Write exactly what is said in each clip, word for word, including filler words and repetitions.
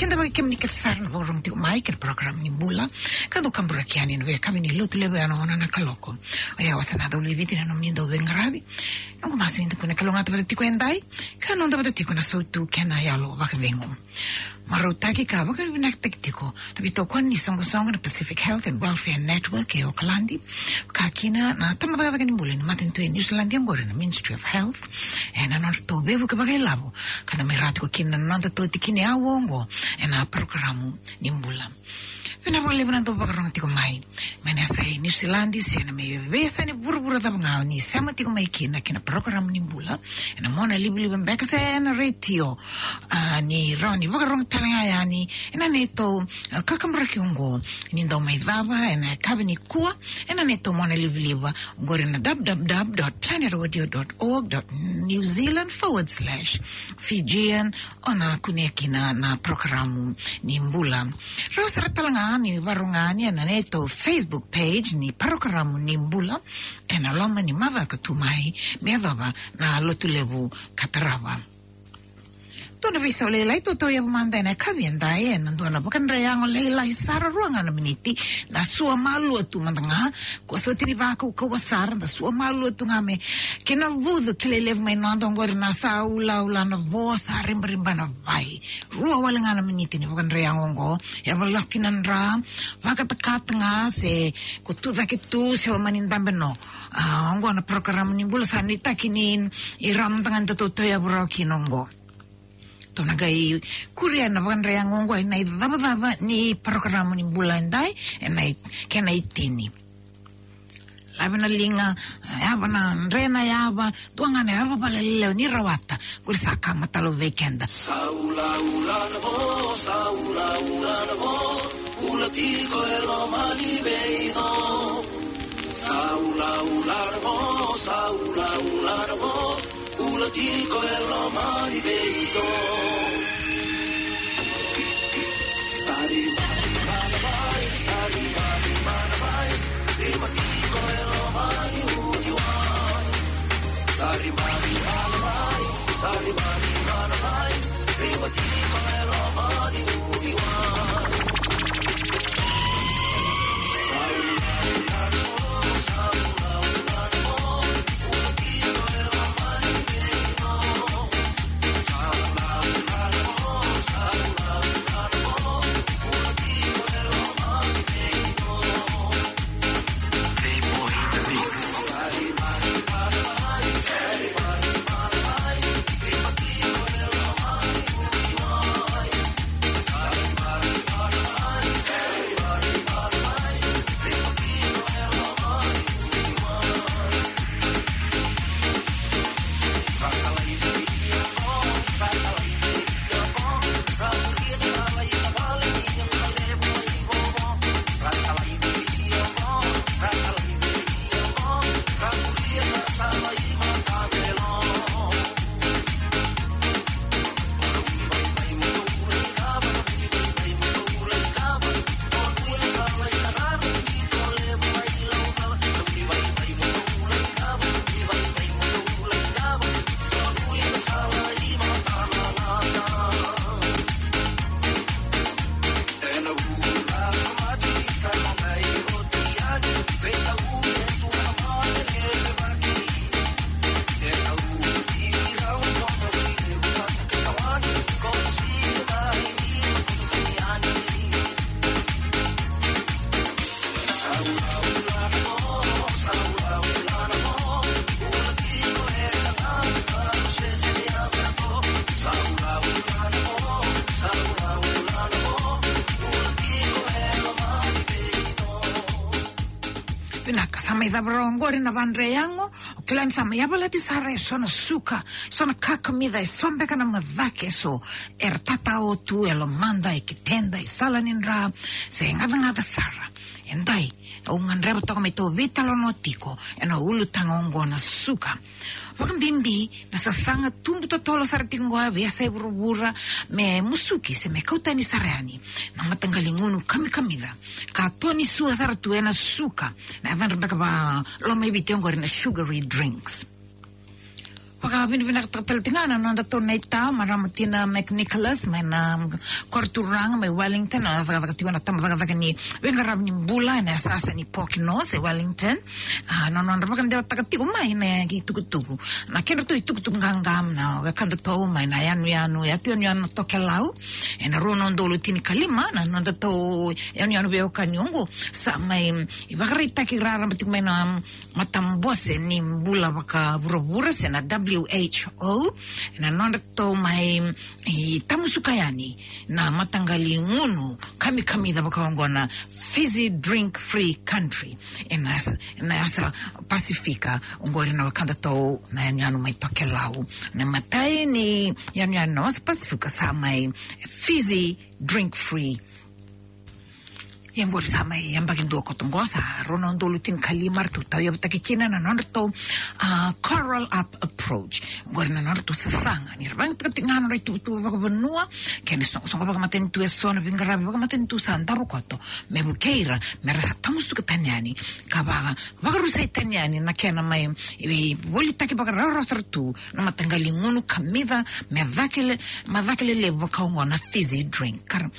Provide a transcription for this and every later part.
Keda vaka kemuni kece sara na vakarorogo tiko mai kei na program ni bula. Ka dau kaburaki yani ena veiyakavi ni Lotulevu ena ono na kaloko. Oya, au sa na Cauliviti na nomuni dauveiqaravi. Noqu masu ni da kua ni kalougata vata tiko edai, ka noda vata tiko na sautu kei na yalo vakacegu. Marautaki ka vakavinavinakataki tiko na veitokoni ni soqosoqo na Pacific Health and Welfare Network e Okaladi, ka kina na tabacakacaka ni bula ni matanitu e Niusiladi oqori na Ministry of Health, ena nodratou veivuke vakailavo ka da mai rawa tiko kina na noda tautikina e au oqo ena parokaramu ni bula. Vinaka vakalevu na dau vakarorogo tiko mai mai na yasa e Niusiladi se na mai veiyasa ni vuravura cava ga o ni sema tiko mai kina ki na parokaramu ni bula ena monalivaliva beka se ena retio. A, ni rawa ni vakarorogo tale ga yani ena neitou, a, kakaburaki oqo ni dau mai cava ena yakavi nikua ena neitou monalivaliva oqori na w w w dot planet audio dot org dot new zealand forward slash fijian. O na kunea kina na parokaramu ni bula. Rawa sara tale ga ni vakarorogo yani ena neitou Facebook page ni parokaramu ni bula ena loma ni macawa ka tu mai me yacova na Lotulevu ka tarava. Dua na veisau lailai tou tauyavu mada ena yakavi edai ena dua na vakadre yago lailai sara, rua ga na miniti. Da sua malua tu mada ga, kua soti ni vakaukauwa sara, da sua malua tu ga me kena vucu kilai levu mai noda oqori na saulaula na vo sa ribariba na vai. Rua wale ga na miniti ni vakadre yago oqo. Yavalati na dra, vakatakata ga se ko tu cake tu se o mani dabe no. A, oqo na parokaramu ni bula sa nuitaki ni ira mada ga ni da tou tauyavu rawa kina oqo. Tou na qai kuria na vakadre yago oqo ena icavacava ni parokaramu ni bula edai, ena i-, kena itini. Lave na liga, yava na dre na yava, dua ga na yava vakaleleo ni rawata, qori sa ka matalo vei keda. Saulaula na vo, saulaula na vo, bula tiko e loma ni veico. Saulaula na vo, saulaula na vo, bula tiko e loma ni veico. Sari mani mana mai, sari mani mana mai, rima tiko e loma ni uciwai. Sari mani mana mai, sari mani mana mai, rima tiko e loma ni uciwai. Vinaka, sa mai cava rawa oqori na vadre yago. O kila ni sa mai yavalati sara e so na suka, so na kakamica, e so beka na macake, e so era tatao tu e lomada, e keteda, e sala ni dra, se gacagaca sara. Edai, au gadreva toka me tou veitalanoa tiko ena ulutaga oqo na suka. Vakabibi na sasaga tubu totolo sara tiko oqo e veiyasai vuravura, me musuki se me kau tani sara yani na mataqali gunu kamikamica ka to ni sua sara tu ena suka, na yacadra beka valomaiviti oqori na sugary drinks. Vakavinavinakataka tale tiko ga na noda tou naita, marama Tina McNicholas, mai na, um, koro turaga mai Wellington, na cakacaka tiko na tama cakacaka ni veiqaravi ni bula ena yasayasa ni Pokeno e Wellington. A, na nodra vakadewataka tiko mai na itukutuku, na kedratou itukutuku qaqa na wekadatou mai na yanuyanu, yatu yanuyanu na Tokelau, ena rua na udolu tinikalima, na noda tou yanuyanu veiwekani oqo, sa mai, um, ivakaraitaki raraba tiko mai na, um, matabose ni bula vakavuravura se na W H O, na nodratou mai, um, tamusuka yani na mataqali gunu kamikamica vaka oqo na Fizzy Drink Free Country, ena yasa, na yasa Pasifika, oqori na wekadatou na yanuyanu mai Tokelau. Na imatai ni yanuyanu na yasa Pasifika sa mai Fizzy Drink Free. Ia oqori sa mai yabaki dua koto oqo, sa rua na udolu tinikalima ratou tauyavutaki kina na nodratou, a, Coral Up Approach. Oqori na nodratou sasaga ni ra vakayagataka tiko ga na nodra ituvatuva vakavanua kei na soqosoqo vakamatanitu eso, na veiqaravi vakamatanitu sa davo koto, me vukei ira me ra sa tamusuka tani yani ka vaka, vakarusai tani yani na kena mai, e, volitaki vakarawarawa sara tu na mataqali gunu kamica me cake le, me cake lelevu vaka oqo na fizzy drink. Ka ra,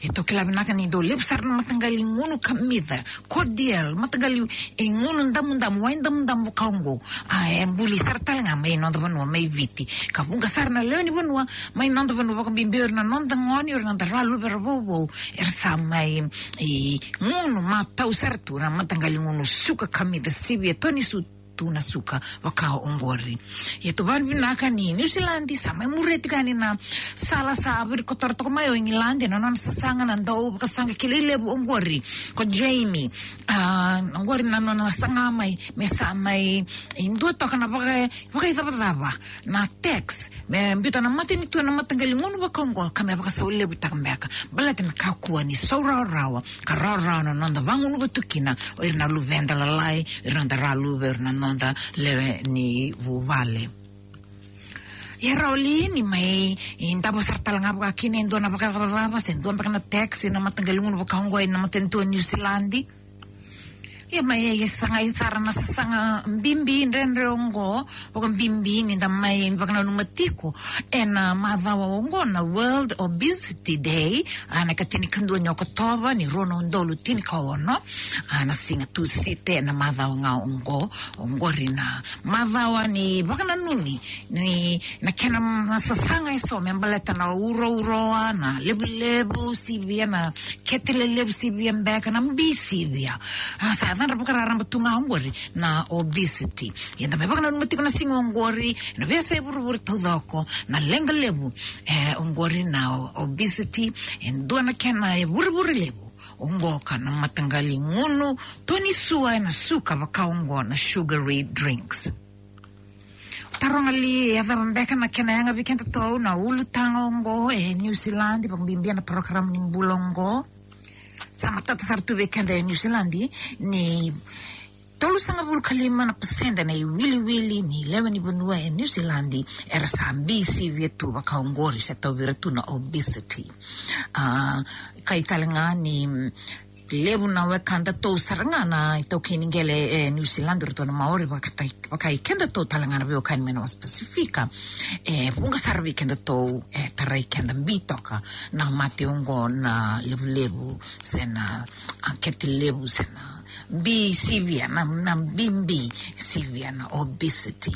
e, tou kila vinaka ni dau levu sara na mataqali gunu kamica, cordial, mataqali, e, gunu damudamu, wai damudamu vaka oqo. A, e buli sara tale ga mai noda vanua mai Viti. Ka vuqa sara na lewe ni vanua mai noda vanua, vakabibi o ira na noda gone, o ira na noda ra luvera vouvou, era sa mai, e, gunu matau sara tu na mataqali gunu suka kamica sivia, toni su tu na suka vaka oqori. Ia tou vakavinavinaka ni Niusiladi sa mai muria tiko yani na sala sa virikotora toka mai o Igiladi na nona sasaga na dauvakasaqa kilai levu oqori ko Jamie. A, oqori na nona saga mai, me sa mai, e, dua toka na vaka, vakaicavacava na tax me biuta na matanitu ena mataqali gunu vaka oqo ka me vakasaulevutaka beka, baleta na kakua ni saurawarawa ka rawarawa na noda vagunuva tu kina o ira na luveda lalai, o ira na noda ra luve, o ira na noda lewe ni vuvale. Ia rawa li ni mai, e, davo sara tale ga vaka kina e dua na vakaicavacava se dua beka na tax ena mataqali gunu vaka oqo ena matanitu o Niusiladi? Ia mai, e, sagai sara na sasaga bibi dredre oqo, vakabibi ni da mai vakananuma tiko ena macawa oqo na World Obesity Day, a, na ikatinikadua ni Okotova ni rua na udolu tinikaono. A, na siga Tusiti ena macawa ga oqo, oqori na macawa ni vakananumi ni na kena, na sasaga eso me baleta na urouroa, na levulevu sivia, na kete lelevu sivia beka, na bi sivia. A, sa yacadra vakararaba tu ga oqori na obesity. Ia da mai vakananuma tiko na siga oqori na veiyasai vuravura taucoko, na leqa levu, e, oqori na o-, obesity, e dua na kena, e, vurevure levu oqo ka na mataqali gunu toni sua ena suka vaka oqo na sugary drinks. Taroga li e cava beka na kena yaga vei kedatou na ulutaga oqo e Niusiladi, vakabibi na program ni bula oqo. Sa matata sara tu vei keda e Niusiladi ni tolusagavulu ka lima na pasede na iwiliwili ni lewe ni vanua e Niusiladi era sa bi sivia tu vaka oqori, se tauvi ira tu na obesity. A, kai tale ga ni, mm, levu na wekadatou sara ga na itaukei ni qele e Niusiladi, ratou na Maori, vakatai-, vakai kedatou tale ga na veiwekani mai na wasa Pasifika. E vuqa sara vei kedatou e tarai keda bi toka na mate oqo na levulevu se na, a, kete levu se na bi sivia, na, na bibi sivia, na obesity.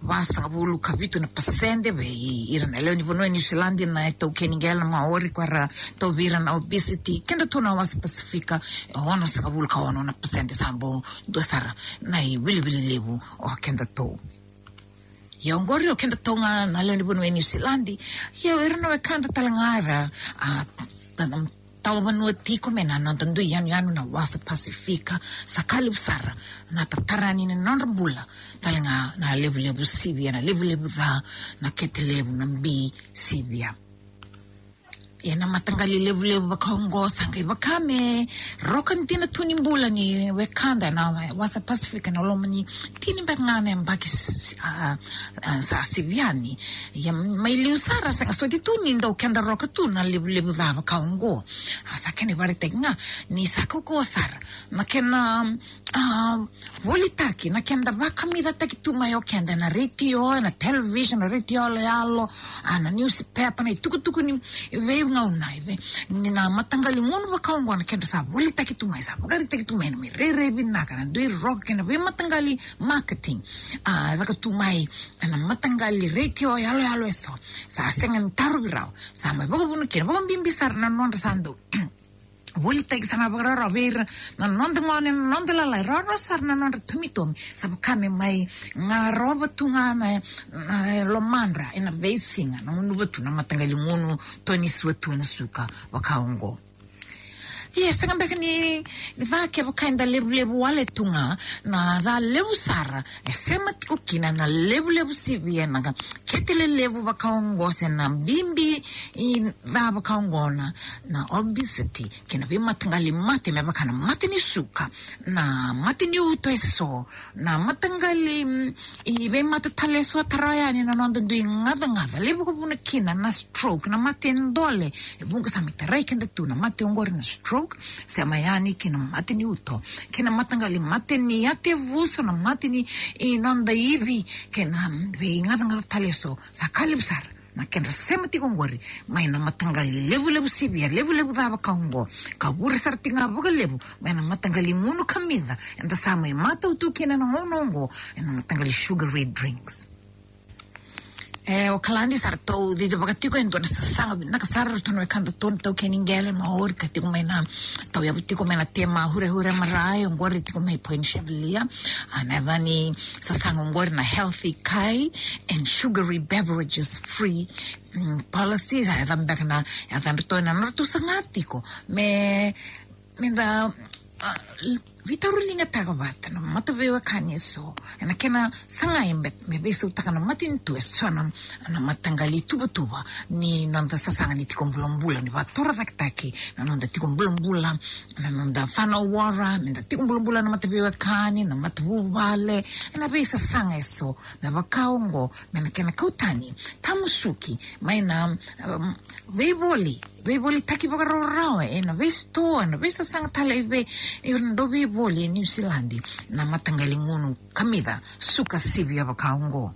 Vasagavulu ka vitu na pasede vei ira na lewe ni vanua e Niusiladi na itaukei ni qele, na Maori, ko era tauvi ira na obesity. Kedatou na wasa Pasifika, e onosagavulu ka ono na pasede, sa bau dua sara na iwiliwili levu o kedatou. Ia oqori o kedatou ga na lewe ni vanua e Niusiladi. Ia o ira na wekada tale ga era, a, ta-, tawa vanua tiko mai na noda dui yanuyanu na wasa Pasifika, sa ka levu sara na tatara ni nodra bula tale ga na levulevu sivia, na levulevu ca, na kete levu, na bi sivia. Ia na mataqali levulevu vaka oqo sa qai vaka me roka dina tu ni bula ni wekada na wasa Pasifika na loma ni tini beka ga na yabaki s-, s-, a, a, sa sivi yani. Ia mai liu sara sega soti tu ni dau keda roka tu na levulevu ca vaka oqo. A, sa kena ivakaraitaki ga ni sa kaukauwa sara na kena, a, volitaki, na keda vakamicataki tu mai o keda na retio, na television, na retio yaloyalo, a, na newspaper, na itukutuku ni veigauna, e vei, ni na mataqali gunu vaka oqo na keda sa volitaki tu mai, sa vakaraitaki tu mai na mai rairai vinaka, na dui roka kei na veimataqali marketing, a, e caka tu mai na mataqali retio yaloyalo eso. Sa sega ni tarovi rawa, sa mai vakavuna kina, vakabibi sara na nodra sa dau volitaki sara na vakararawa vei ira na noda gone, na noda lalai, rawarawa sara na nodra tomitomi. Sa vaka me mai garova tu ga na, na lomadra ena veisiga, na gunuva tu na mataqali gunu tonisua tu ena suka vaka oqo. Ia, sega beka ni ca kevaka eda levulevu wale tu ga, na ca levu sara e sema tiko kina na levulevu sivia, na kete lelevu vaka oqo se na bibi i ca vaka oqo na, na obesity, kei na veimataqali mate me vaka na mate ni suka, na mate ni uto eso, na mataqali, mm, i veimate tale eso tara yani na noda dui gacagaca, levu vakavuna kina na stroke, na mate dole, e vuqa sa mai tarai keda tu na mate oqori na stroke, sema yani kei na mate ni uto, kei na mataqali mate ni yatevuso, na mate ni, i noda ivi, kei na, mm, veigacagaca tale eso, sa ka levu sara na kedra sema tiko oqori mai na mataqali levulevu sivia, levulevu ca vaka oqo, ka vure sara tiko ga vakalevu mai na mataqali gunu kamica eda sa mai matau tu kina na gauna oqo, ena mataqali sugary drinks. E, o Kaladi, sa ratou cicivaka tiko e dua na sasaga vinaka sara, ratou na wekada tolu na taukei ni qele, Maori, ka tiko mai na, tauyavu tiko mai na tema hurehure marae, oqori tiko mai Point Chevalier. A, na yaca ni sasaga oqori na Healthy Kai and Sugary Beverages Free, mm, Policy. Sa yaca beka na, yacadratou ena nodratou saga tiko me, me da, a, veitauriligataka vata na mataveiwekani eso ena kena sagai me, me veisautaka na matanitu eso na, na mataqali tuvatuva ni noda sasaga ni tiko bulabula, ni vakatorocaketaki na noda tiko bulabula, na noda fana wara, me da tiko bulabula na mataveiwekani, na matavuvale, ena veisasaga eso me vaka oqo, me na kena kau tani, tamusuki mai na, um, veivoli, veivolitaki vakarawarawa ena veisitoa, ena veisasaga tale i vei, ira na dau veivoli e Niusiladi, na mataqali gunu kamica suka sivia vaka oqo.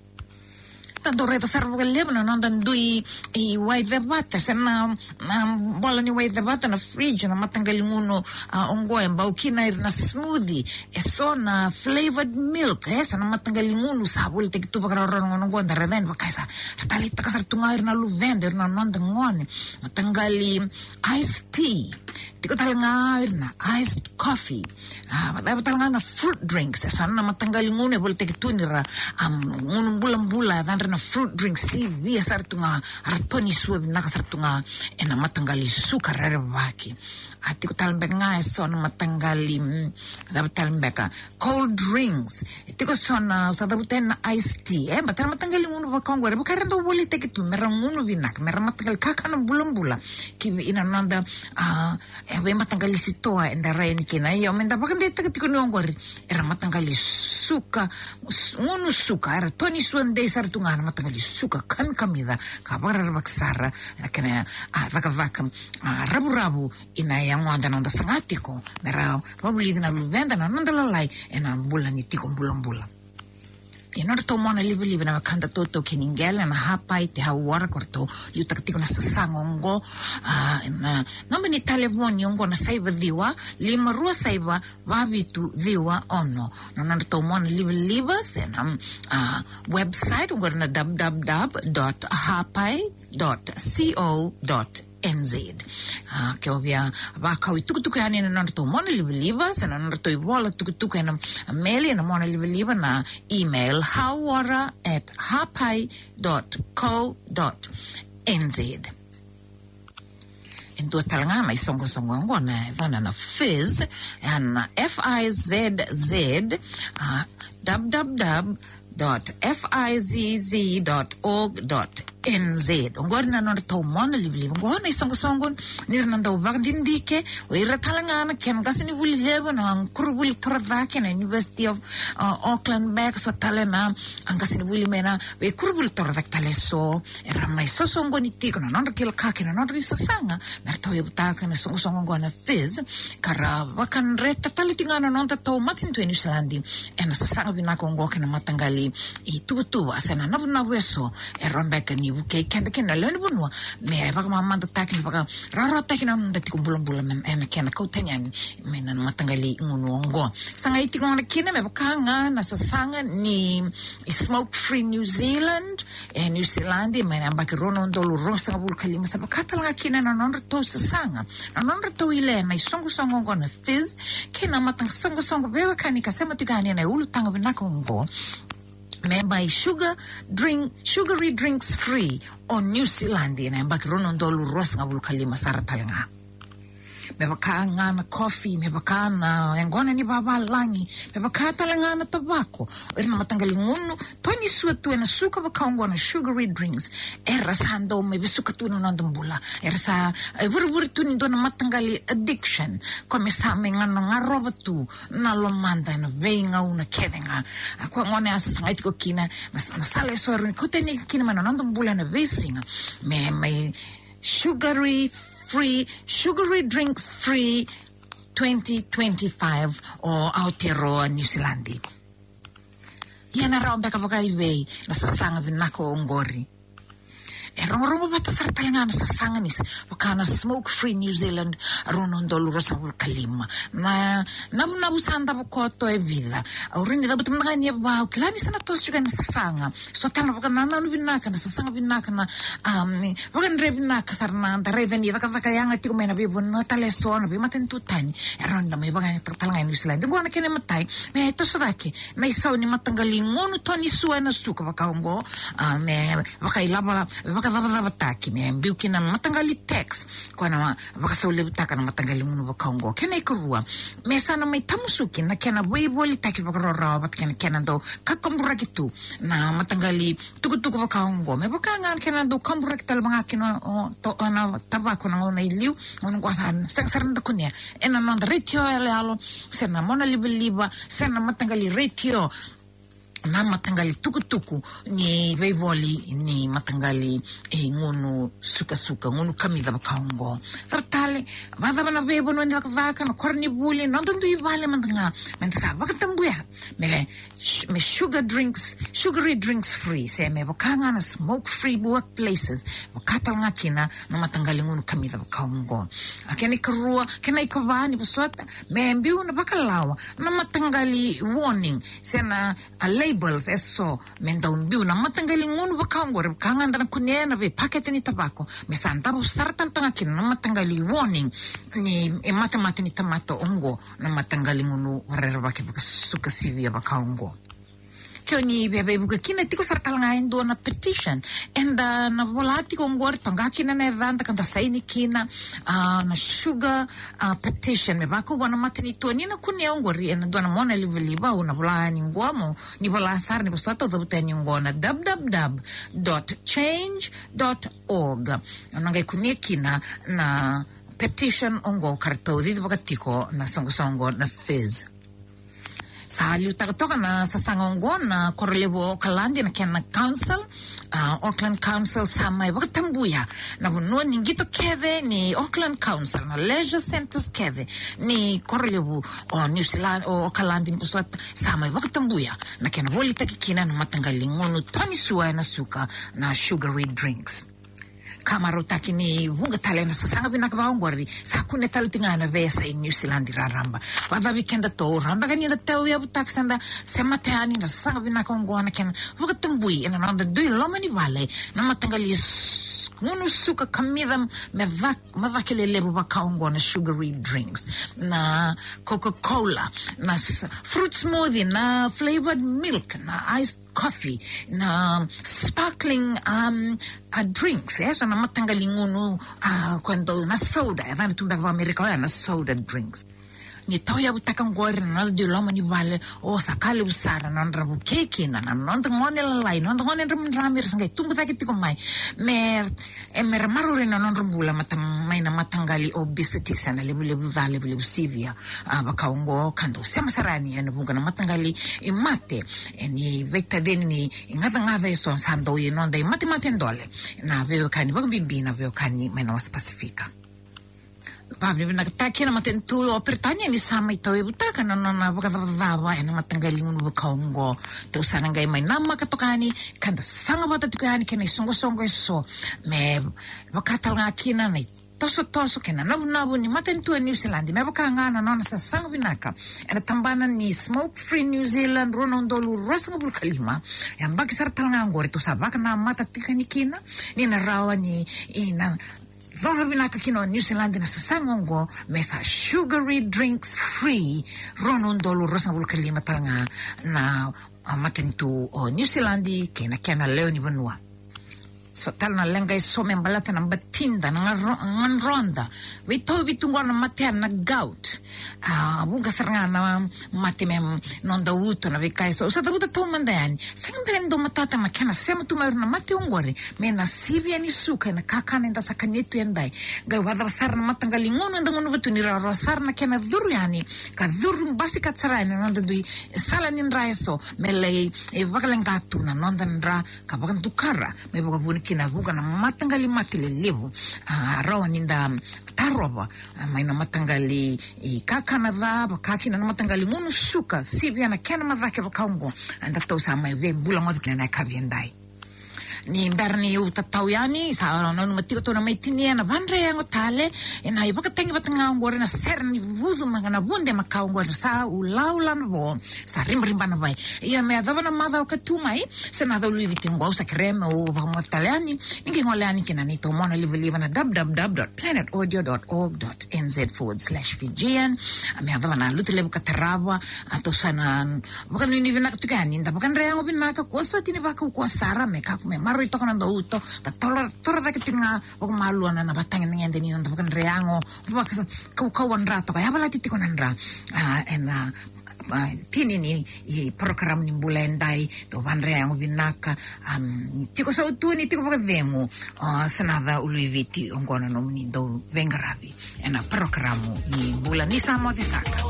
Da dau raica sara vakalevu na noda dui, e, wai cevata, se na, na bola ni wai cevata, na fridge, na mataqali gunu, a, oqo e bau kina ira na smoothie, eso na flavored milk, eso na mataqali gunu sa volitaki tu vakarawarawa na gauna oqo, da raica yani vaka sa ra taleitaka sara tu ga ira na luveda, ira na noda gone, mataqali iced tea. Tiko tale ga ira na iced coffee. A, vata, vata tale ga na fruit drinks. Eso na mataqali gunu e volitaki tu ni ra, um, gunu bulabula, yacadra na fruit drinks. Sivia sara tu ga, ra tonisua vinaka sara tu ga ena mataqali suka rerevaki. A, tiko tale beka ga eso na mataqali, mm, cava tale beka, cold drinks. E tiko so na, au sa cavuta na iced tea, e, baleta na mataqali gunu vaka oqori, vaka era dau volitaki tu me ra gunu vinaka, me ra mataqali kakana bulabula ki vei na noda, a, e, veimataqali sitoa eda rai yani kina. Io, me da vakadeitaka tiko ni oqori era mataqali suka, s-, gunu suka, era tonisua dei sara tu ga na mataqali suka kamikamica, ka vakarerevaki sara na kena, a, cakacaka, a, ravuravu, ina yagoda na noda saga tiko me ra vakavulici na luveda, na noda lalai ena bula ni tiko bulabula. Ia, nodratou mona livaliva na wekada tautaukei ni qele na Hapai Te Hauora, ko ratou liutaka tiko na sasaga oqo. A, na naba ni talevoni oqo na saiva ciwa, lima rua saiva, va vitu ciwa ono. Na nodratou mona livaliva se na, a, website oqori na w w w dot hapai dot co dot n z. A, ke o via vakau itukutuku yani na nodratou mona livaliva se na nodratou ivola tukutuku ena meli, ena mona livaliva na email, hauora at hapai dot co dot n z. E dua tale ga na isoqosoqo oqo na yacana na Fizz, ena F I Z Z, a, w w w dot f i z z dot org dot N Z. Oqori na nodratou mona livaliva. Oqo na isoqosoqo ni ra na dau vakadidike o ira tale ga na kena qasenivuli levu na koronivuli torocake na University of, uh, Auckland, beka so tale na, a, qasenivuli mai na veikoronivuli torocake tale so. Era mai sosoqoni tiko na nodra kila ka kei na nodra isasaga me ratou yavutaka na isoqosoqo oqo na FIZ, ka ra vakadreta tale tiko ga na nodatou matanitu e Niusiladi ena sasaga vinaka oqo kei na mataqali ituvatuva se na navunavu eso e rawa beka ni vukei keda kina na lewe ni vanua me vakamamadataki, me vakarawarawataki na noda tiko bulabula me, ena kena kau tani yani mai na mataqali gunu oqo. Sa qai tiko gona kina me vaka ga na sasaga ni Smoke Free New Zealand e Niusiladi mai na yabaki rua na udolu ruasagavulu ka lima, sa vaka tale ga kina na nodratou sasaga, na nodratou ile na isoqosoqo oqo na FIZ kei na matasoqosoqo veiwekani ka sema tiko yani ena ulutaga vinaka oqo, me mai sugar drink, sugary drinks free o Niusiladi ena yabaki rua na udolu ruasagavulu ka lima sara tale ga. Me vaka ga na coffee, me vaka na yaqona ni vavalagi, me vaka tale ga na tavako, o ira na mataqali gunu tonisua tu ena suka vaka oqo na sugary drinks, era sa dau mai vesuka tu na noda bula. Era sa, e, vurevure tu ni dua na mataqali addiction, koya me sa mai gano garova tu na lomada ena veigauna kece ga. A koya gona ya sa sagai tiko kina na, na sala eso e rawa ni kau tani kina mai na noda bula ena veisiga. Me mai sugary free, sugary drinks free twenty twenty-five o Aotearoa Niusiladi. Ia na rawa beka vakaivei na sasaga vinaka oqori? E rogorogo vata sara tale ga na sasaga ni sa, vaka na Smoke Free New Zealand rua na udolu ruasagavulu ka lima. Na navunavu sa davo koto e vica. Au rawa ni cavuta mada ga ni e va, au kila ni sa na toso tiko na sasaga. So tale na vakanananu vinaka, na sasaga vinaka, na, um, vakadre vinaka sara na da raica ni cakacaka yaga tiko mai na veivanua tale eso, na veimatanitu tani. E rawa ni da mai vakayagataka tale ga e Niusiladi. Oqo na kena imatai, me toso cake na isau ni mataqali gunu tonisua ena suka vaka oqo, a, me vakailava, vakacavacavataki, me biu kina na mataqali tax, koya na vakasaulevutaka na mataqali gunu vaka oqo. Kena ikarua, me sa na mai tamusuki na kena veivolitaki vakarawarawa vata kei na kena dau kakaburaki tu na mataqali tukutuku vaka oqo. Me vaka ga na kena dau kaburaki tale vaka kina o, to, o na tavako na gauna i liu, gauna oqo sa sega sara ni da kunea ena noda retio yaloyalo, se na mona livaliva, se na mataqali retio, na mataqali tukutuku ni veivoli ni mataqali, e, gunu sukasuka, gunu kamica vaka oqo. Tara tale, vakacava na veivanua ni cakacaka, na koronivuli, noda dui vale mada ga, meda sa vakatabuya me, me sugar drinks, sugary drinks free, se me vaka ga na smoke free workplaces, vaka tale ga kina na mataqali gunu kamica vaka oqo. A kena ikarua, kena ikava ni vosota, me biu na vakalawa na mataqali warning se na, a, labels eso me dau biu na mataqali gunu vaka oqori, vaka ga da na kunea na veipakete ni tavako, me sa davo sara tale toka ga kina na mataqali warning ni, e, matemate ni tamata oqo, na mataqali gunu vakarerevaki vakasuka sivia vaka oqo. Ke o ni via veivuke kina, tiko sara tale ga e dua na petition eda na vola tiko oqori, toqa kina na yacada ka da saini kina, a, na sugar, a, petition. Me vakaukauwa na matanitu o ni na kunea oqori ena dua na mona livaliva, au na vola yani oqo, mo ni vola sara ni vosota, au cavuta yani oqo na w w w dot change dot org. O na qai kunea kina na petition oqo ka ratou cici vakatiko na soqosoqo na FIZ. Sa liutaka toka na sasaga oqo na korolevu o Okaladi, na kena council, a, Auckland Council sa mai vakatabuya na vanua ni qito kece ni Auckland Council, na leisure centres kece ni korolevu o New Zealand, o Okaladi ni vosota, sa mai vakatabuya na kena volitaki kina na mataqali gunu tonisua ena suka, na sugary drinks. Ka marautaki ni vuqa tale na sasaga vinaka vaka oqori sa kune tale tiko ga ena veiyasai Niusiladi raraba. Vakacavi kedatou, rawa beka ni da tauyavutaka se da semata yani na sasaga vinaka oqo, na kena vakatabui ena noda dui loma ni vale na mataqali s-, gunu suka kamica me cak-, me cake lelevu vaka oqo, na sugary drinks, na Coca-Cola, na s-, fruit smoothie, na flavoured milk, na iced coffee, na sparkling, um, uh, drinks, e, so na mataqali gunu, uh, koya dau na soda, e, na tu beka vakaAmerika oya na soda drinks. ni tauyavutaka oqori na noda dui loma ni vale, o sa ka levu sara na nodra vukei kina na noda gone lalai, noda gone dramidrami era sa qai tubu cake tiko mai. Me, e, me ra maroroi na nodra bula mata, mai na mataqali obesity, se na levulevu ca, levulevu sivia. A, vaka oqo ka dau sema sara yani ena vuqa na mataqali i mate, e, ni veitacini ni gacagaca eso sa dau i noda i matemate dole. Na veiwekani vakabibi na veiwekani mai na wasa Pasifika. Vakavinavinakataki na matanitu o Peritania ni sa mai tauyavutaka na nona vakacavacava ena mataqali gunu vaka oqo. Tou sa na qai mai namaka toka yani ka da saga vata tiko yani kei na isoqosoqo eso me vaka tale ga kina na itosotoso kei na navunavu ni matanitu e New Zealand me vaka ga na nona sasaga vinaka ena tabana ni Smoke Free New Zealand rua na udolu ruasagavulu ka lima. E yabaki sara tale ga oqori tou sa vakanamata tiko yani kina ni na rawa ni, i na coro vinaka kina o New Zealand na sasaga oqo me sa sugary drinks free. Rua na udolu ruasagavulu ka lima tale ga na, a, matanitu o New Zealand kei na kena lewe ni vanua. So tale na leqa eso me baleta na batida, na garo-, gadroda, veitauvi tu qo na matea na gout. A, vuqa sara ga na mate me noda uto, na veika eso. Au sa cavuta taumada yani. Sega beka ni dau matata na kena sema tu mai o ira na mate oqori mai na sivia ni suka ena kakana eda sa kania tu edai. Qai vakacava sara na mataqali gunu eda gunuva tu ni rawarawa sara na kena curu yani ka curu basika sara yani na noda dui sala ni dra eso me lai, e, vakaleqa tu na noda dra ka vakadukara mai vakavuna kina vuqa na mataqali mate lelevu. A, rawa ni da tarova, a, mai na mataqali i kakana ca, vaka kina na mataqali gunu suka, sivia na kena macake vaka oqo. Eda tou sa mai veibulagoci kina na yakavi edai. Ni bera niu tatau yani, sa nanuma tiko tou na mai tinia na vadre yago tale ena ivakatagi vata ga oqori na sere ni vucu mai ga na vude makawa oqori na Sa Ulaula na Vo, Sa Ribariba na Vai. Ia me yacova na macawa ka tu mai, se na cau luiviti oqo au sa kerea meu vakamoce tale yani, ni qai gole yani kina neitou mona livaliva na w w w dot planet audio dot org dot n z forward slash Fijian. A, me yacova na Lotulevu ka tarava, a, tou sa na vakanuinui vinaka tiko yani, da vakadre yago vinaka, kua soti ni vakaukauwa sara, me kakua me maroroi toka na noda uto, da toro, toro cake tiko ga vakamalua na, na vatagedegede ni noda vakadre yago, vaka sa, kaukauwa dra toka, yavalati tiko na dra, a, ena, a, tini ni, i porokaramu ni bula edai, tou vadre yago vinaka, am, ni tiko sautu, ni tiko vakacegu, o, Sanaca Uluiviti, oqo na nomuni dau veiqaravi ena porokaramu ni bula ni sa moce saka.